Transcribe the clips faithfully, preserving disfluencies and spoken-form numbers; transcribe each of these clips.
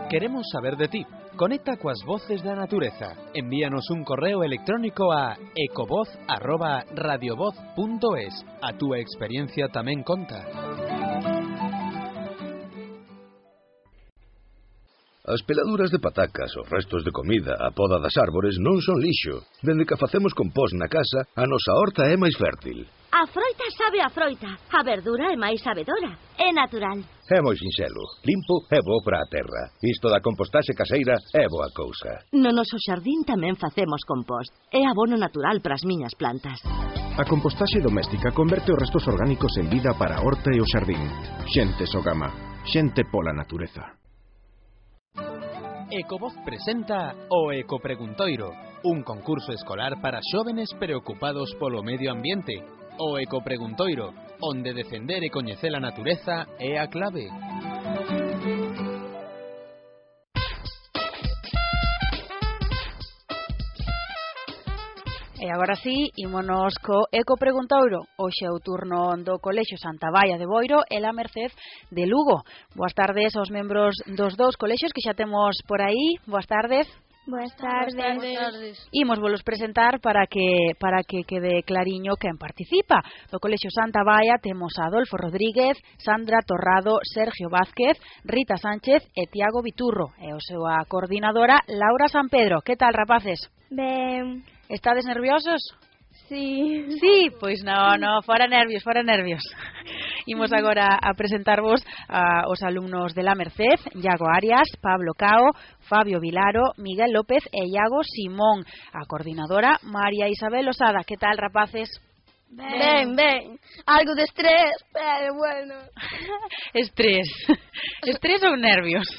Queremos saber de ti. Conecta coas voces da natureza. Envíanos un correo electrónico a ecovoz arroba radiovoz punto es. A túa experiencia tamén conta. As peladuras de patacas, os restos de comida, a poda das árbores non son lixo. Dende que facemos compost na casa, a nosa horta é máis fértil. A froita sabe a froita, a verdura é máis sabedora, é natural. É moi sinxelo, limpo e bo para a terra. Isto da compostaxe caseira é boa cousa. No noso xardín tamén facemos compost. É abono natural para as miñas plantas. A compostaxe doméstica converte os restos orgánicos en vida para a horta e o xardín. Xente Sogama, xente pola natureza. Ecovoz presenta o Ecopreguntoiro, un concurso escolar para xóvenes preocupados polo medio ambiente. O Ecopreguntoiro, onde defender e coñecer a natureza é a clave. E agora sí, ímonos co Ecopreguntoiro. Hoxe é o turno do Colexio Santa Baia de Boiro e la Merced de Lugo. Boas tardes aos membros dos dous colexios que xa temos por aí. Boas tardes. Boas tardes. Boas tardes. Imos volos presentar para que para que quede clariño quen participa. Do Colexio Santa Baia temos a Adolfo Rodríguez, Sandra Torrado, Sergio Vázquez, Rita Sánchez e Tiago Viturro. E o seu a coordinadora Laura San Pedro. Que tal, rapaces? Ben. Estades nerviosos? Sí. Sí, pois no, no, fora nervios, fora nervios. Imos agora a presentarvos a, os alumnos de la Merced, Iago Arias, Pablo Cao, Fabio Vilaro, Miguel López e Iago Simón. A coordinadora María Isabel Osada. Que tal, rapaces? Ben, ben. Algo de estrés, pero bueno. Estrés. Estrés ou nervios?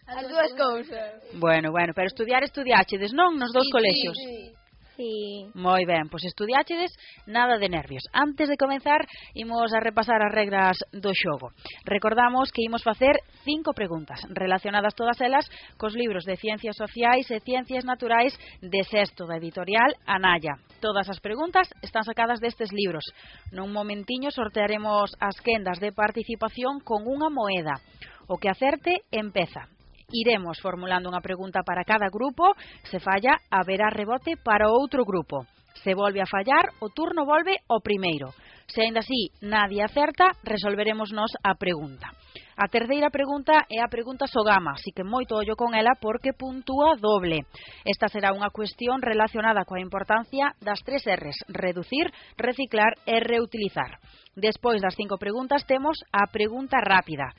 As dúas cousas. Bueno, bueno, pero estudiar estudiáchedes, non? Nos dous sí, colexios. Sí, sí. Sí. Moi ben, pois estudiáchedes, nada de nervios. Antes de comenzar, imos a repasar as regras do xogo. Recordamos que imos facer cinco preguntas, relacionadas todas elas cos libros de Ciencias Sociais e Ciencias Naturais de sexto da editorial Anaya. Todas as preguntas están sacadas destes libros. Nun momentiño sortearemos as quendas de participación con unha moeda. O que acerte, empeza. Iremos formulando unha pregunta para cada grupo. Se falla, haberá rebote para o outro grupo. Se volve a fallar, o turno volve ao primeiro. Se aínda así nadie acerta, resolveremos nos a pregunta. A terceira pregunta é a pregunta Sogama, así que moito ollo con ela porque puntúa doble. Esta será unha cuestión relacionada coa importancia das tres R's: reducir, reciclar e reutilizar. Despois das cinco preguntas temos a pregunta rápida.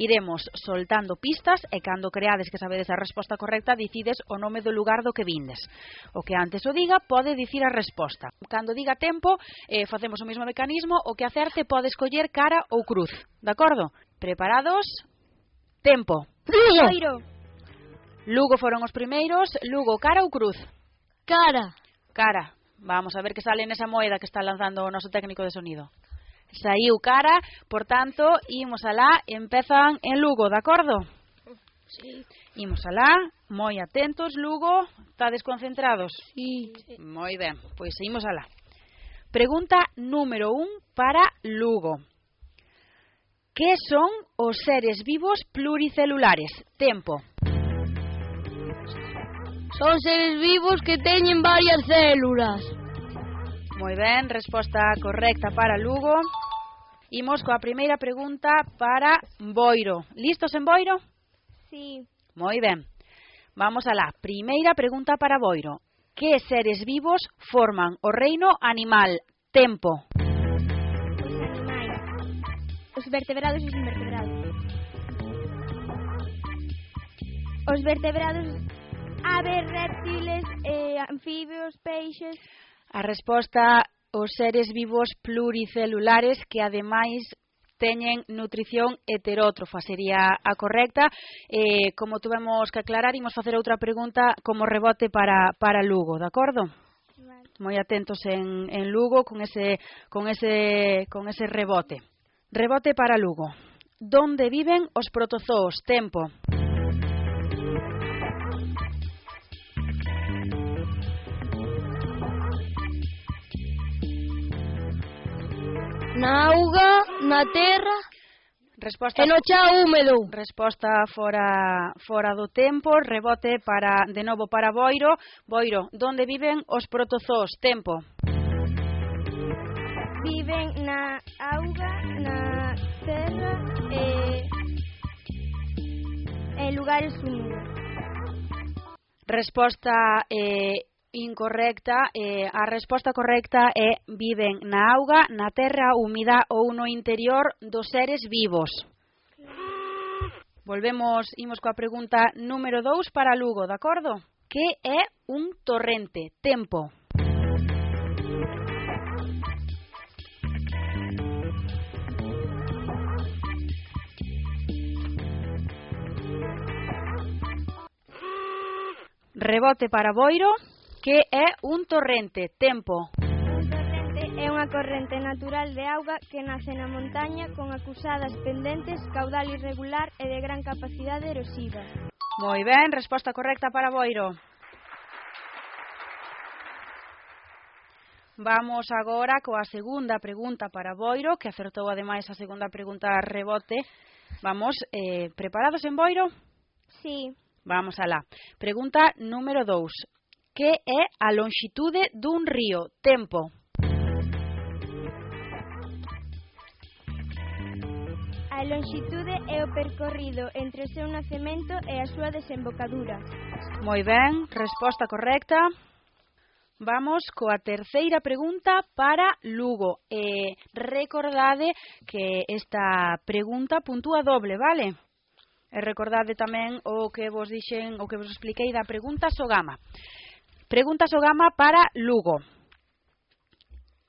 Iremos soltando pistas e cando creades que sabedes a resposta correcta dicides o nome do lugar do que vindes. O que antes o diga pode dicir a resposta. Cando diga tempo, eh, facemos o mesmo mecanismo, o que acerte pode escoller cara ou cruz. De acordo? Preparados? Tempo. Lugo. Lugo foron os primeiros. Lugo, cara ou cruz? Cara. Cara. Vamos a ver que sale nesa moeda que está lanzando o noso técnico de sonido. Saiu cara, por tanto, imos alá, empezan en Lugo, de acordo? Sí. Imos alá, moi atentos, Lugo, estades concentrados? Sí. Moi ben, pois imos alá. Pregunta número un para Lugo. Que son os seres vivos pluricelulares? Tempo. Son seres vivos que teñen varias células. Moi ben, resposta correcta para Lugo. Imos coa primeira pregunta para Boiro. Listos en Boiro? Sí. Moi ben. Vamos alá. Primeira pregunta para Boiro. Que seres vivos forman o reino animal? Tempo. Os animais. Os vertebrados e os invertebrados. Os vertebrados, aves, reptiles, eh, anfibios, peixes. A resposta, os seres vivos pluricelulares que ademais teñen nutrición heterótrofa, sería a correcta. Eh, como tuvemos que aclarar, imos facer outra pregunta como rebote para, para Lugo, de acordo? Vale. Moi atentos en, en Lugo con ese, con, ese, con ese rebote. Rebote para Lugo. Donde viven os protozoos? Tempo. Na auga, na terra. Resposta E no chao húmedo. Resposta fora fora do tempo, rebote para de novo para Boiro. Boiro, onde viven os protozoos? Tempo. Viven na auga, na terra e en lugares húmedos. Resposta eh, incorrecta. Eh, a resposta correcta é viven na auga, na terra húmida ou no interior dos seres vivos. Volvemos, imos coa pregunta número dous para Lugo, de acordo? Que é un torrente? Tempo. Rebote para Boiro. Que é un torrente? Tempo. Un torrente é unha corrente natural de auga que nace na montaña con acusadas pendentes, caudal irregular e de gran capacidade erosiva. Moi ben, resposta correcta para Boiro. Vamos agora coa segunda pregunta para Boiro, que acertou ademais a segunda pregunta a rebote. Vamos, eh, preparados en Boiro? Sí. Vamos alá. Pregunta número dous. Que é a lonxitude dun río? Tempo. A lonxitude é o percorrido entre o seu nacemento e a súa desembocadura. Moi ben, resposta correcta. Vamos coa terceira pregunta para Lugo. E recordade que esta pregunta puntúa doble, vale? E recordade tamén o que vos dixen, o que vos expliquei da pregunta Sogama. Pregunta Sogama para Lugo.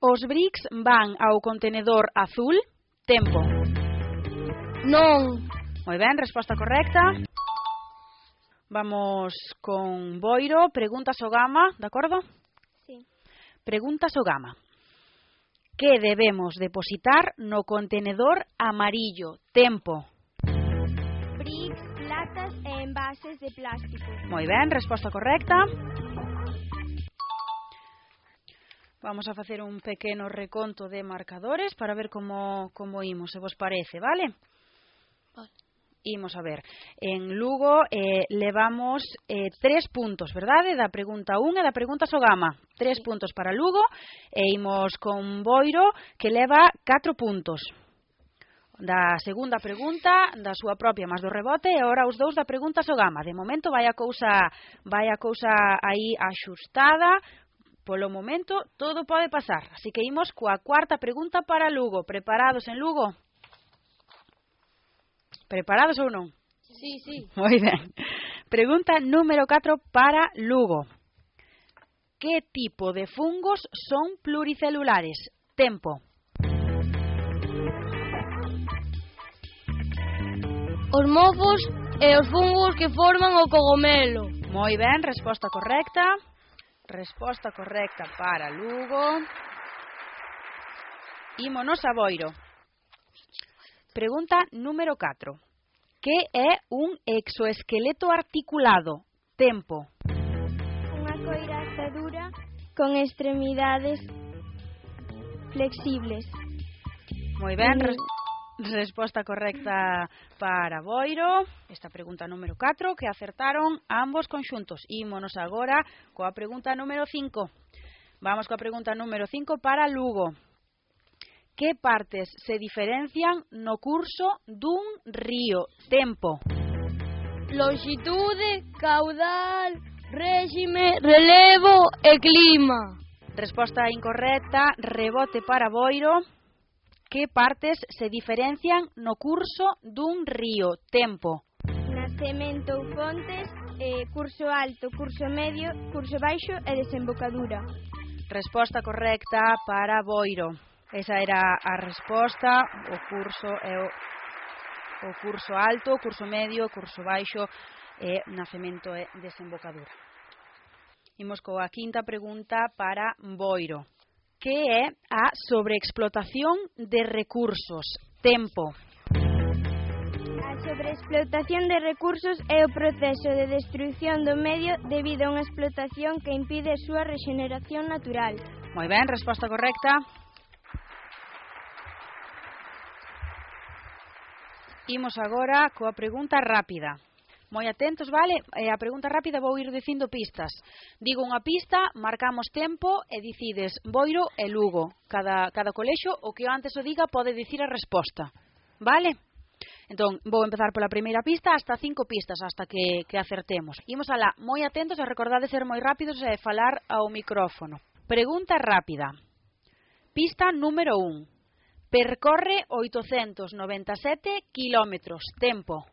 Os bricks van ao contenedor azul? Tempo. Non. Moi ben, resposta correcta. Vamos con Boiro. Pregunta Sogama, de acordo? Sí. Pregunta Sogama. Que debemos depositar no contenedor amarillo? Tempo. Bricks, latas e envases de plástico. Moi ben, resposta correcta. Vamos a facer un pequeno reconto de marcadores para ver como, como imos, se vos parece, vale? Vale. Imos a ver. En Lugo eh, levamos eh, tres puntos, verdade? Da pregunta un e da pregunta Sogama. Tres sí. puntos para Lugo e imos con Boiro, que leva catro puntos. Da segunda pregunta, da súa propia máis do rebote, e agora os dous da pregunta Sogama. De momento vai a cousa, vai a cousa aí axustada. Polo momento, todo pode pasar. Así que imos coa cuarta pregunta para Lugo. Preparados en Lugo? Preparados ou non? Sí, sí. Moi ben. Pregunta número catro para Lugo. Que tipo de fungos son pluricelulares? Tempo. Os mofos e os fungos que forman o cogomelo. Moi ben, resposta correcta. Resposta correcta para Lugo. Ímonos a Boiro. Pregunta número catro. Que é un exoesqueleto articulado? Tempo. Unha coiraza dura con extremidades flexibles. Moi ben, res resposta correcta para Boiro. Esta pregunta número catro que acertaron ambos conxuntos. Ímonos agora coa pregunta número cinco. Vamos coa pregunta número cinco para Lugo. Que partes se diferencian no curso dun río? Tempo. Lonxitude, caudal, réxime, relevo e clima. Resposta incorrecta, rebote para Boiro. Que partes se diferencian no curso dun río? Tempo. Nacemento ou fontes, eh, curso alto, curso medio, curso baixo e desembocadura. Resposta correcta para Boiro. Esa era a resposta, o curso é o, o curso alto, o curso medio, o curso baixo e nacemento e desembocadura. Imos coa quinta pregunta para Boiro. Que é a sobreexplotación de recursos? Tempo. A sobreexplotación de recursos é o proceso de destruición do medio debido a unha explotación que impide a súa rexeneración natural. Moi ben, resposta correcta. Imos agora coa pregunta rápida. Moi atentos, vale? E a pregunta rápida vou ir dicindo pistas. Digo unha pista, marcamos tempo e dicides Boiro e Lugo. Cada, cada colexo, o que eu antes o diga, pode dicir a resposta. Vale? Entón, vou empezar pola primeira pista hasta cinco pistas, hasta que, que acertemos. Imos alá, moi atentos e recordade ser moi rápidos e falar ao micrófono. Pregunta rápida. Pista número un. Percorre oitocentos noventa e sete kilómetros. Tempo.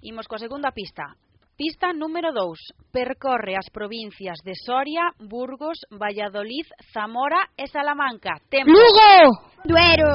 Imos coa segunda pista. Pista número dous. Percorre as provincias de Soria, Burgos, Valladolid, Zamora e Salamanca. Tempo. Lugo! Duero.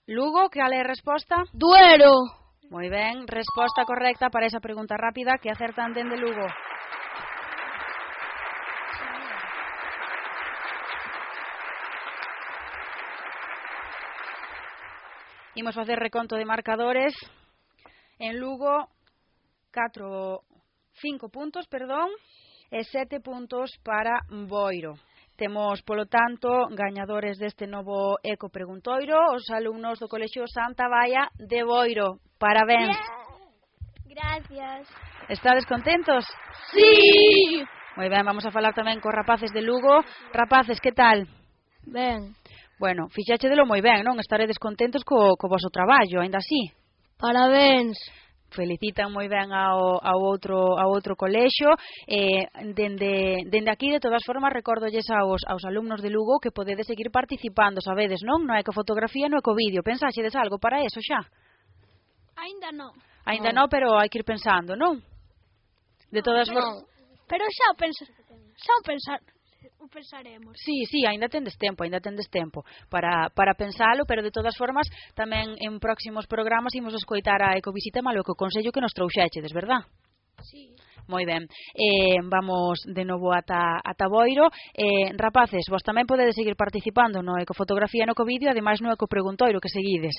Lugo, que ale a resposta? Duero! Moi ben, resposta correcta para esa pregunta rápida que acertan dende Lugo. Imos facer reconto de marcadores. En Lugo, catro, cinco puntos, perdón, e sete puntos para Boiro. Temos, polo tanto, gañadores deste novo Eco Preguntoiro, os alumnos do Colexio Santa Baia de Boiro. Parabéns. Yeah. Gracias. Estades contentos? Sí! Moi ben, vamos a falar tamén cos rapaces de Lugo. Rapaces, que tal? Ben. Bueno, fixáchedelo moi ben, non? Estaredes contentos co, co voso traballo, aínda así? Parabéns. Felicitan moi ben ao, ao, outro, ao outro colexio. Eh, dende, dende aquí, de todas formas, recórdolles aos, aos alumnos de Lugo que podedes seguir participando, sabedes, non? No ecofotografía e no ecovídeo. Pensaxedes algo para eso xa? Ainda non. Ainda non, pero hai que ir pensando, non? De todas formas... Pero xa o pensa, xa o pensar, o pensaremos. Sí, sí, ainda tendes tempo, ainda tendes tempo para, para pensalo, pero de todas formas tamén en próximos programas imos escoitar a ecovisita malo que o consello que nos trouxechedes, verdad? Sí. Moi ben, eh, vamos de novo ata, ata Boiro. eh, Rapaces, vos tamén podedes seguir participando no ecofotografía e no ecovídeo, ademais no ecopreguntoiro que seguides.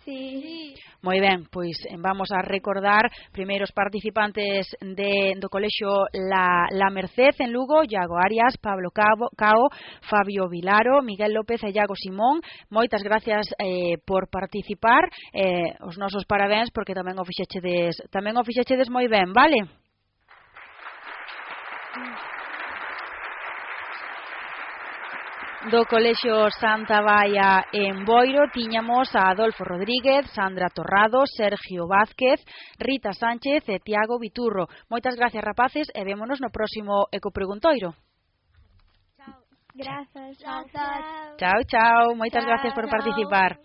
Sí. Moi ben, pois vamos a recordar primeiro os participantes de, do colexio La, La Merced en Lugo: Iago Arias, Pablo Cao, Cao, Fabio Vilaro, Miguel López e Iago Simón. Moitas gracias eh, por participar, eh, os nosos parabéns porque tamén o fixechedes, tamén o fixechedes moi ben, vale? Do Colexio Santa Baia en Boiro tiñamos a Adolfo Rodríguez, Sandra Torrado, Sergio Vázquez, Rita Sánchez e Tiago Viturro. Moitas gracias, rapaces, e vémonos no próximo Ecopreguntoiro. Chao. Grazas. Chao. Chao, chao. Moitas Chao. gracias por participar.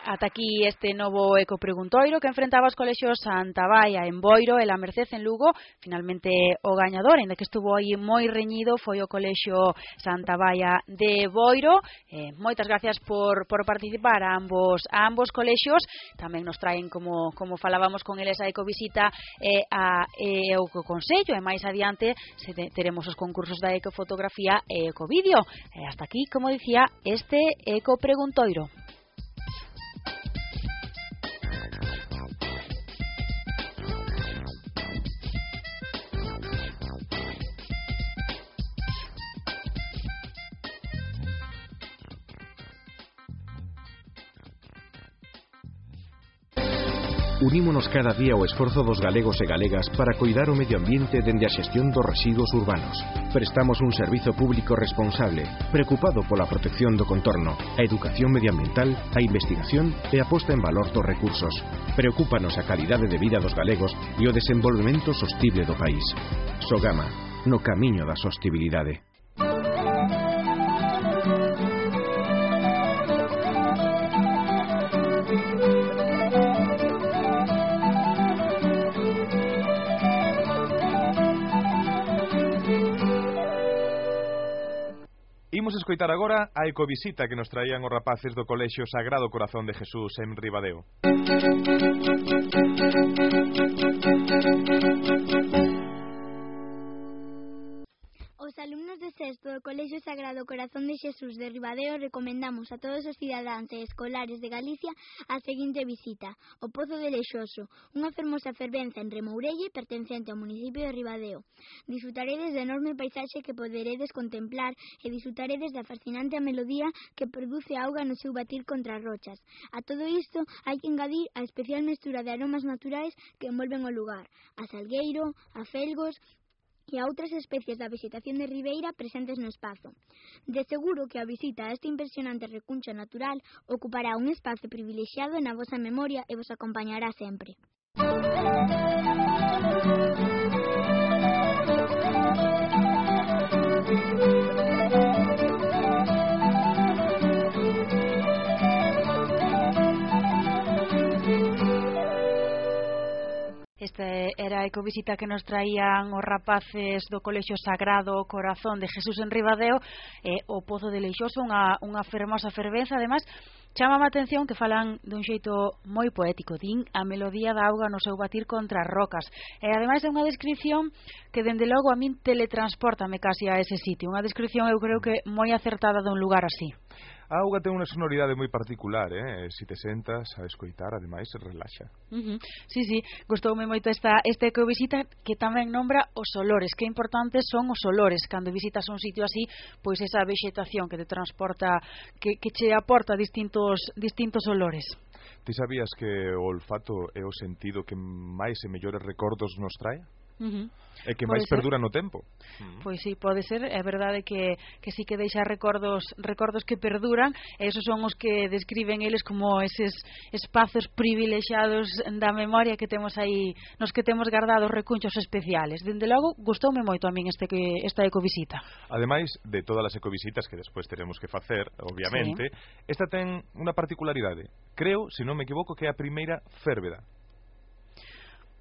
Ata aquí este novo ecopreguntoiro que enfrentaba os colexios Santa Baia en Boiro e La Merced en Lugo. Finalmente o gañador, ainda que estuvo aí moi reñido, foi o colexio Santa Baia de Boiro. Eh, moitas gracias por, por participar a ambos, a ambos colexios. Tamén nos traen, como, como falábamos con eles, a ecovisita e, a, e o consello, e máis adiante se te, teremos os concursos da ecofotografía e ecovídeo. E hasta aquí, como dicía, este ecopreguntoiro. Unímonos cada día ao esforzo dos galegos e galegas para coidar o medio ambiente dende a xestión dos residuos urbanos. Prestamos un servizo público responsable, preocupado pola protección do contorno, a educación medioambiental, a investigación e a posta en valor dos recursos. Preocúpanos a calidade de vida dos galegos e o desenvolvemento sostible do país. Sogama, no camiño da sostibilidade. Imos escoitar agora a ecovisita que nos traían os rapaces do Colexio Sagrado Corazón de Jesús en Ribadeo. Os alumnos de sexto do Colexio Sagrado do Corazón de Xesús de Ribadeo recomendamos a todos os cidadáns e escolares de Galicia a seguinte visita: o Pozo de Leixoso, unha fermosa fervenza en Remourelle pertencente ao municipio de Ribadeo. Disfrutaredes da enorme paisaxe que poderedes contemplar e disfrutaredes da fascinante melodía que produce a auga no seu batir contra as rochas. A todo isto hai que engadir a especial mestura de aromas naturais que envolven o lugar: a salgueiro, a felgos e a outras especies da vegetación de ribeira presentes no espazo. De seguro que a visita a este impresionante recuncho natural ocupará un espazo privilexiado na vosa memoria e vos acompañará sempre. Esta era a ecovisita que nos traían os rapaces do Colexio Sagrado Corazón de Jesús en Ribadeo, e o Pozo de Leixoso, unha, unha fermosa fervenza. Ademais, chama a atención que falan dun xeito moi poético, din a melodía da auga no seu batir contra as rocas, e ademais é unha descripción que dende logo a min teletransportame casi a ese sitio, unha descripción eu creo que moi acertada dun lugar así. A auga ten unha sonoridade moi particular, eh? Se te sentas a escoitar, ademais, relaxa. Uh-huh. Sí, sí, gustoume moito esta, esta ecovisita, que tamén nombra os olores, que importantes son os olores. Cando visitas un sitio así, pois esa vegetación que te transporta, que, que che aporta distintos, distintos olores. Ti sabías que o olfato é o sentido que máis e mellores recordos nos trae? Uh-huh. E que máis perdura no tempo. Uh-huh. Pois sí, pode ser. É verdade que, que sí que deixa recordos recordos que perduran, e esos son os que describen eles como eses espazos privilexiados da memoria que temos aí, nos que temos guardados recunchos especiales. Dende logo, gustoume moito a min este, esta ecovisita. Ademais de todas as ecovisitas que despois teremos que facer, obviamente, sí, esta ten unha particularidade. Creo, se non me equivoco, que é a primeira férveda.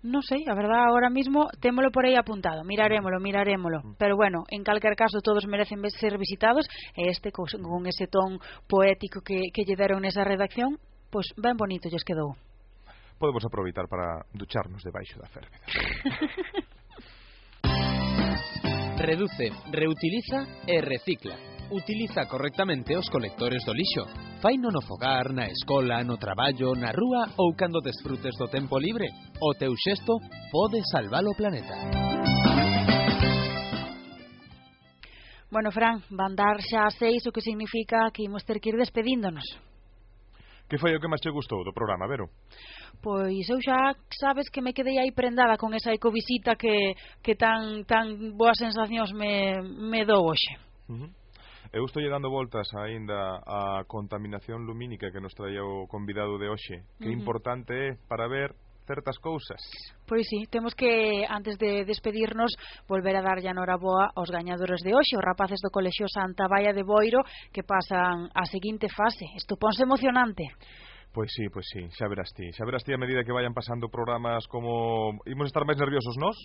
Non sei, a verdad, ahora mismo témolo por aí apuntado, mirarémolo, mirarémolo. Pero bueno, en calquer caso todos merecen ser visitados, e este con ese ton poético que, que lle deron nesa redacción, pois ben bonito lles quedou. Podemos aproveitar para ducharnos debaixo da férveda. Reduce, reutiliza e recicla. Utiliza correctamente os colectores do lixo. Faino no fogar, na escola, no traballo, na rúa ou cando desfrutes do tempo libre. O teu xesto pode salvar o planeta. Bueno, Fran, van dar xa a seis, o que significa que imos ter que ir despedíndonos. Que foi o que máis che gustou do programa, Vero? Pois eu xa sabes que me quedei aí prendada con esa ecovisita que, que tan, tan boas sensacións me, me dou hoxe. Uh-huh. Eu estou dando voltas aínda a contaminación lumínica que nos traía o convidado de hoxe. Que uh-huh. importante é para ver certas cousas. Pois sí, temos que, antes de despedirnos, volver a darlle a noraboa aos gañadores de hoxe, os rapaces do Colexio Santa Baia de Boiro, que pasan a seguinte fase. Isto ponse emocionante. Pois sí, pois sí, xa verás ti. Xa verás ti a medida que vayan pasando programas, como imos estar máis nerviosos nós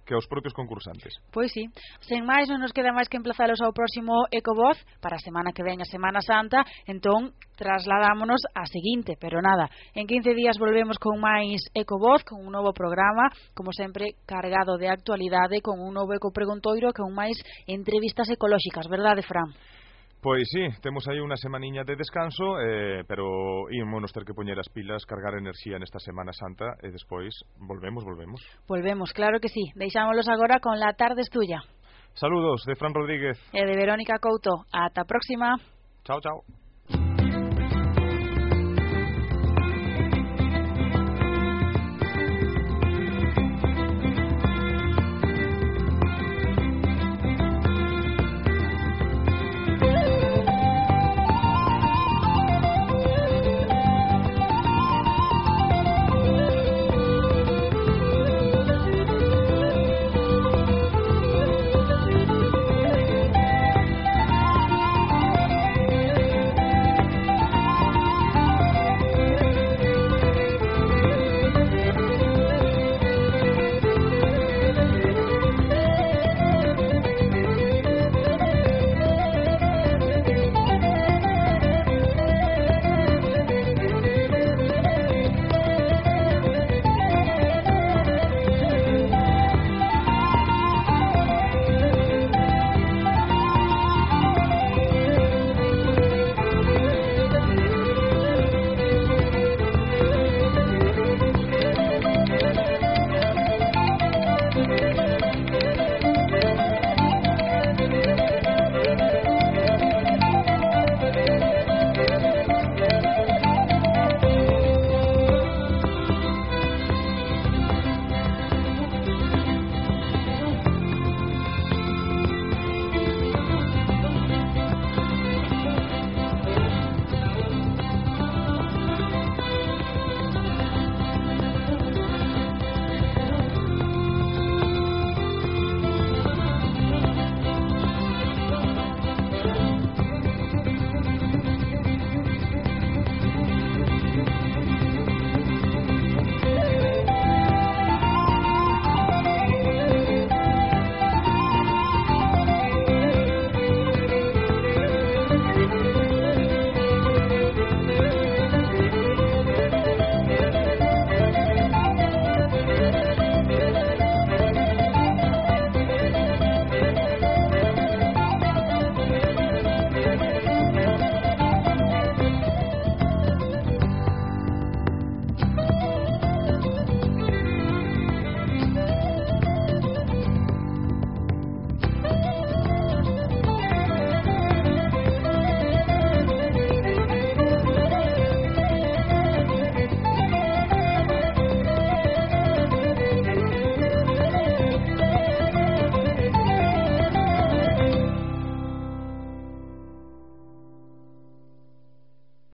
que os propios concursantes. Pois sí, sen máis non nos queda máis que emplazalos ao próximo Ecovoz para a semana que ven, a Semana Santa. Entón trasladámonos á seguinte, pero nada, en quince días volvemos con máis Ecovoz, con un novo programa, como sempre cargado de actualidade, con un novo Ecopreguntoiro, con máis entrevistas ecolóxicas, verdade, Fran? Pois sí, temos aí unha semaniña de descanso, eh, pero ímonos ter que poñer as pilas, cargar enerxía nesta Semana Santa, e despois volvemos, volvemos. Volvemos, claro que sí. Deixámolos agora con La Tarde es Tuya. Saludos de Fran Rodríguez e de Verónica Couto. Ata a próxima. Chao, chao.